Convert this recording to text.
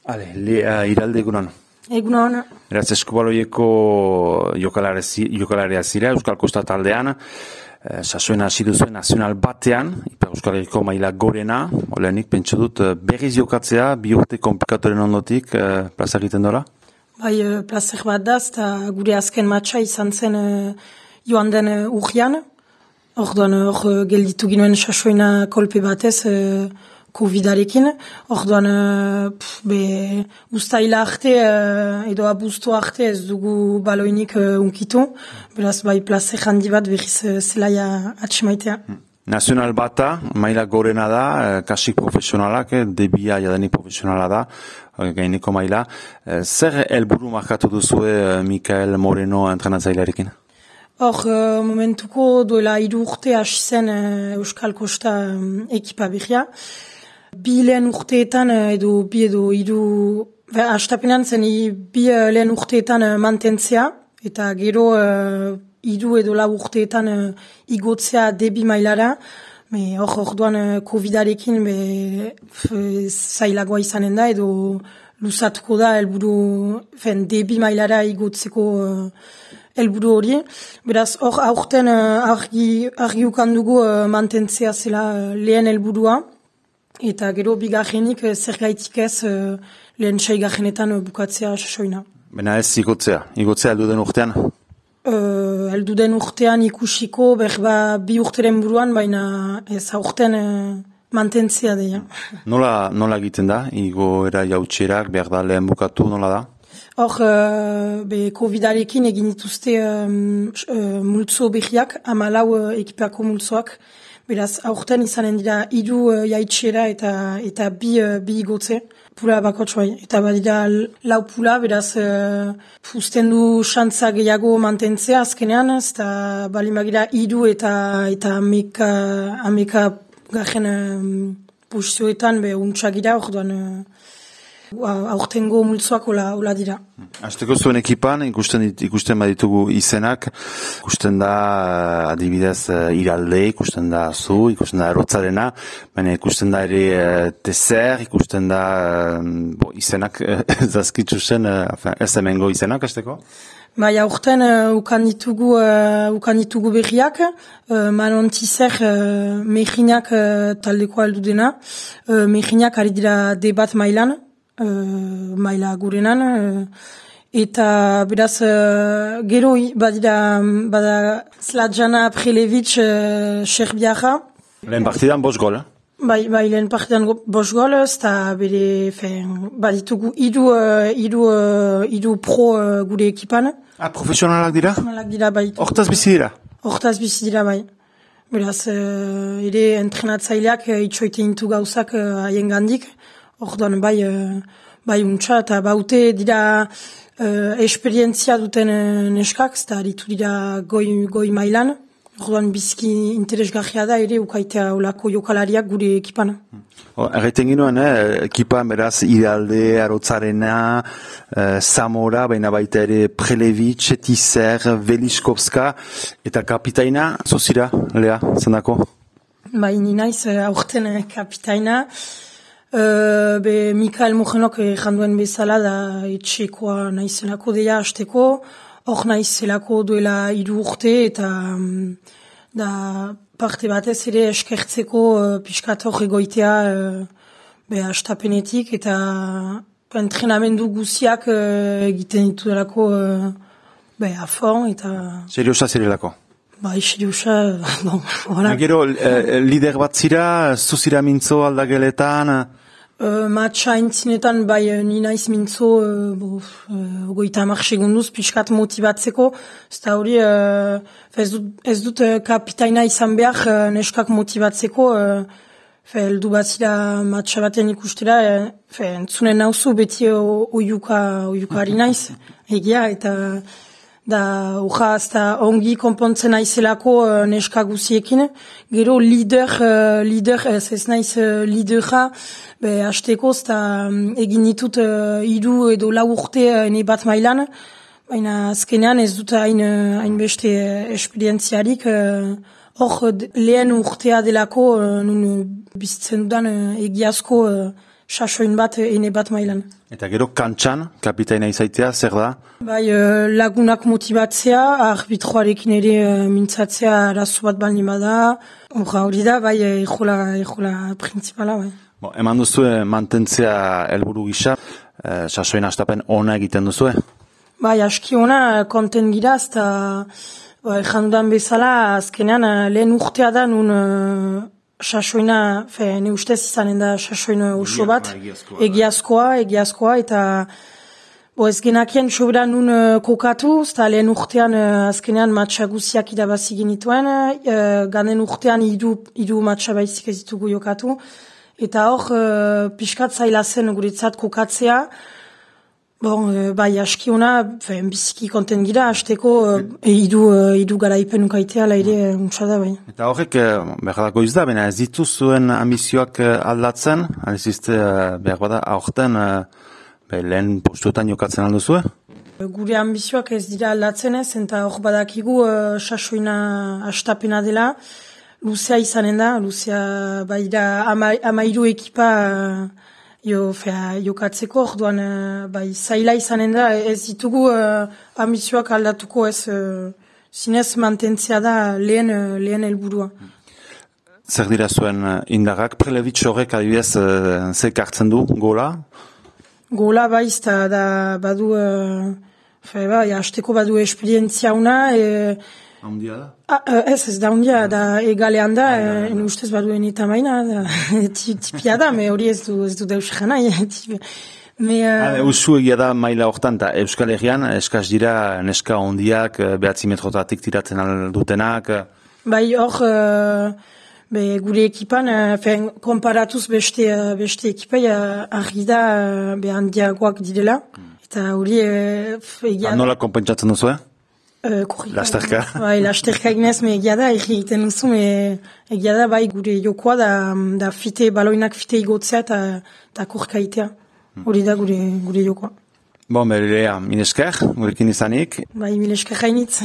Iralde egunon. Egunon. Beraz, Eskubaloieko jokalaria zira, Euskal Kosta taldean, sasoen hasi duzuen nazional batean, Ipar Euskal Herriko maila gorena, olenik pentsu dut berriz jokatzea, bi urte konplikatoren ondotik, plaza egiten dola? Bai, plazer bat da, eta gure azken matxa izan zen joan den urrian. Hor gelditu ginoen sasoena kolpe batez, Covid-arekin. Orduan, ustaila arte edo abuztu arte ez dugu baloinik unkitu. Beraz, bai, plazer handi bat berriz zelaia atxemaitea. Nazional bata, maila gorena da, kasik profesionalak, debia jadanik profesionala da, gaineko maila. Zer helburu markatu duzue Mikael Moreno entrenatzailearekin? Hor, momentuko duela 3 urte hasi zen Euskal Kosta ekipa berria. Bi lehen urteetan edo hiru, hastapenean zen bi lehen urteetan mantentzea, eta gero 3 edo 4 urteetan igotzea debi mailara. Orduan Covid-arekin zailagoa izanen da edo luzatuko da helburu debi mailara igotzeko helburu hori. Beraz, hor aurten argi ukan dugu mantentzea zela lehen helburua. Eta gero bigarrenik zergaitik ez lehen seigarrenetan bukatzea sasoina. Bena ez igotzea heldu den urtean? Heldu den urtean ikusiko, berba 2 urteren buruan, baina ez aurten mantentzea deia. Nola egiten da? Igoera jautxerak, behar da lehen bukatu, nola da? Hor, Covid-arekin egin dituzte multzo berriak, 14 ekipako multzoak. Beraz, aurten izanen dira 3 jaitxera eta bi igotze, pula bakotx bai. Eta badira 4 pula, beraz, usten du xantza gehiago mantentzea azkenean, eta balimagira 3 eta ameka garen posizioetan untxagira, orduan aurtengo multzoak hola dira. Azteko zuen ekipan, ikusten baditugu izenak, ikusten da adibidez Iralde, ikusten da zu, ikusten da Erotzarena, baina ikusten da ere Tezer, ikusten da izenak zazkitzu zen, ez hemengo izenak, azteko? Bai, aurten ukan ditugu berriak, Manon Tezer Mejinak taldeko aldu dena, Mejinak ari dira debat mailan, maila gurenan, eta beraz gero bada Zlatjana Prelevic Serbiara. Lehen partidan 5 gol, Bai, lehen partidan 5 gol, eta bere, baditugu 3 pro gure ekipan. Profesionalak dira? Profesionalak dira, bai. Hortaz bizi dira? Hortaz bizi dira, bai. Beraz, ere entrenatzaileak itxoite intu gauzak haien gandik. Orduan bai untxa eta baute dira esperientzia duten neskak, eta aritu dira goi mailan. Orduan bizki interesgarria da ere ukaitea olako jokalariak gure ekipan. Erraiten ginoen, ekipan beraz Iralde, Arotzarena, Zamora, baina baita ere Prelevic, Tezer, Veliskovska, eta kapitaina, zozira, Lea, zendako? Bai, ni naiz aurten kapitaina. Mikael Mojenok janduen bezala da etxekoa naizelako deia hasteko, hor naizelako duela 3 urte eta da parte batez ere eskertzeko pixkat hor egoitea hastapenetik eta entrenamendu guziak egiten ditu delako afon eta... Seriosa zirelako? Bai, seriosa, hola. Gero, lider bat zira, zuzira mintzo aldageletan? Matxa intzinetan, bai, ni naiz mintzo, 30 segunduz, pixkat motibatzeko, eta hori, ez dut kapitaina izan behar, neskak motibatzeko, heldu bat zira matxa baten ikustera, entzunen nauzu beti oiukari naiz, egia, eta... da ongi konpontzen naizelako neska guziekin. Gero lider ez naiz lidera, hasteko egin ditut 3 edo 4 urte ene bat mailan, baina azkenean ez dut hain beste esperientziarik, hor lehen urtea delako nun bizitzen dudan egiazko sasoin bat, ene bat mailan. Eta gero kantxan, kapitaina izaitea, zer da? Bai, lagunak motibatzea, arbitroarekin ere mintzatzea arazo bat baldin bada, hori da, bai, ejola principala, bai. Eman duzue mantentzea helburu gisa, sasoin astapen ona egiten duzue? Bai, aski ona, konten gira, eta jandudan bezala, azkenean lehen urtea da nun sasoina, ne ustez izanen da sasoina oso bat, egiazkoa, eta ez genakien sobera nun kokatu, eta lehen urtean azkenean matxa guziak irabazi genituen, ganen urtean hiru matxa baizik ez ditugu jokatu, eta hor pixkat zaila zen guretzat kokatzea. Bai, aski ona, biziki konten gira, hasteko hiru garaipen ukaitea, laire untsa da, bai. Eta horrek, behardako izda, baina ez ditu zuen ambizioak aldatzen, alizizte, behar bada, aurten lehen postuetan jokatzen alduzue? Gure ambizioak ez dira aldatzen ez, eta hor badakigu sasoina astapena dela, luzea izanen da, luzea bai da amairu ekipa jokatzeko, orduan bai zaila izanen da, ez ditugu ambizioak aldatuko ez, zinez mantentzea da lehen helburua. Zer dira zuen indarrak, Prelevitz horrek adibidez zek hartzen du, gola? Gola bai, da badu, hasteko badu esperientzia una, Haundia da? Ez da haundia, da egalean da, ustez baduen eta maina, tipia da, hori ez du deus jana. Usu egia da maila hortan, eta Euskal Herrian, eskaz dira neska hondiak, 9 metrotatik tiratzen aldutenak? Bai, hor, gure ekipan, konparatuz beste ekipai, argi da, handiagoak direla, eta hori egia da. Nola konpentsatzen duzu, Lasterka. Bai, lasterka eginez, egia da, egiten duzu, egia da, bai, gure jokoa da baloinak fite igotzea eta korkaitea. Hori da gure jokoa. Berea, minesker, gurekin izanik. Bai, minesker hainitz.